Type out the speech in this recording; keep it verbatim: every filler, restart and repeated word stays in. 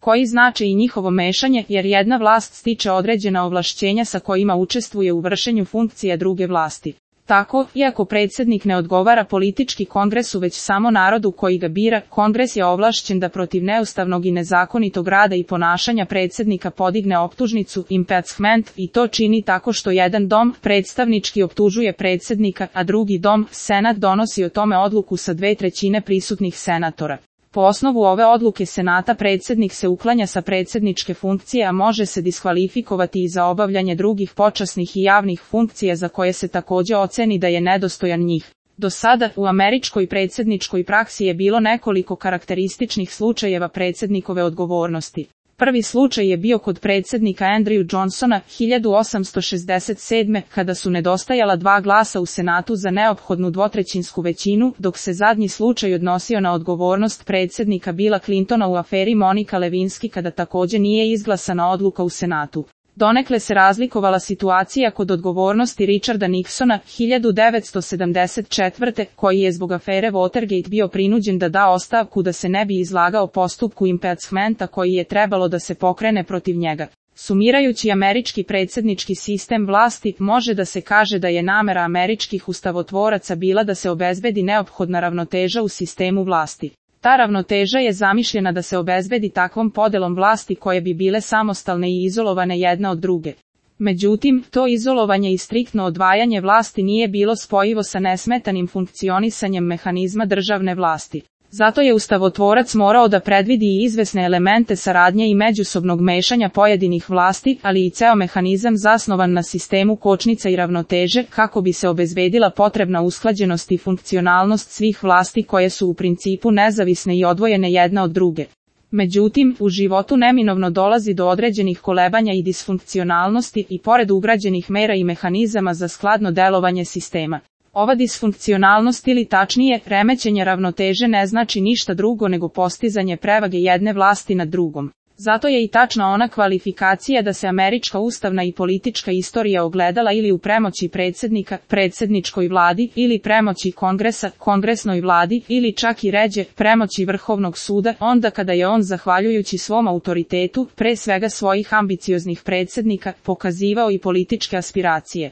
koji znače i njihovo mešanje, jer jedna vlast stiče određena ovlašćenja sa kojima učestvuje u vršenju funkcija druge vlasti. Tako, iako predsjednik ne odgovara politički kongresu već samo narodu koji ga bira, kongres je ovlašćen da protiv neustavnog i nezakonitog rada i ponašanja predsjednika podigne optužnicu, impeachment, i to čini tako što jedan dom, predstavnički, optužuje predsjednika, a drugi dom, senat, donosi o tome odluku sa dve trećine prisutnih senatora. Po osnovu ove odluke senata predsjednik se uklanja sa predsjedničke funkcije, a može se diskvalifikovati i za obavljanje drugih počasnih i javnih funkcija za koje se također oceni da je nedostojan njih. Do sada, u američkoj predsjedničkoj praksi je bilo nekoliko karakterističnih slučajeva predsjednikove odgovornosti. Prvi slučaj je bio kod predsjednika Andrew Johnsona hiljadu osamsto šezdeset sedme. kada su nedostajala dva glasa u Senatu za neophodnu dvotrećinsku većinu, dok se zadnji slučaj odnosio na odgovornost predsjednika Billa Clintona u aferi Monica Lewinsky kada također nije izglasana odluka u Senatu. Donekle se razlikovala situacija kod odgovornosti Richarda Nixona hiljadu devetsto sedamdeset četvrte. koji je zbog afere Watergate bio prinuđen da da ostavku da se ne bi izlagao postupku impeachmenta koji je trebalo da se pokrene protiv njega. Sumirajući američki predsjednički sistem vlasti, može da se kaže da je namera američkih ustavotvoraca bila da se obezbedi neophodna ravnoteža u sistemu vlasti. Ta ravnoteža je zamišljena da se obezbedi takvom podelom vlasti koje bi bile samostalne i izolovane jedna od druge. Međutim, to izolovanje i striktno odvajanje vlasti nije bilo spojivo sa nesmetanim funkcionisanjem mehanizma državne vlasti. Zato je ustavotvorac morao da predvidi i izvesne elemente saradnje i međusobnog mešanja pojedinih vlasti, ali i ceo mehanizam zasnovan na sistemu kočnica i ravnoteže, kako bi se obezbedila potrebna usklađenost i funkcionalnost svih vlasti koje su u principu nezavisne i odvojene jedna od druge. Međutim, u životu neminovno dolazi do određenih kolebanja i disfunkcionalnosti i pored ugrađenih mera i mehanizama za skladno delovanje sistema. Ova disfunkcionalnost ili tačnije, remećenje ravnoteže ne znači ništa drugo nego postizanje prevage jedne vlasti nad drugom. Zato je i tačna ona kvalifikacija da se američka ustavna i politička istorija ogledala ili u premoći predsjednika, predsjedničkoj vladi, ili premoći kongresa, kongresnoj vladi, ili čak i ređe, premoći Vrhovnog suda, onda kada je on zahvaljujući svom autoritetu, pre svega svojih ambicioznih predsjednika, pokazivao i političke aspiracije.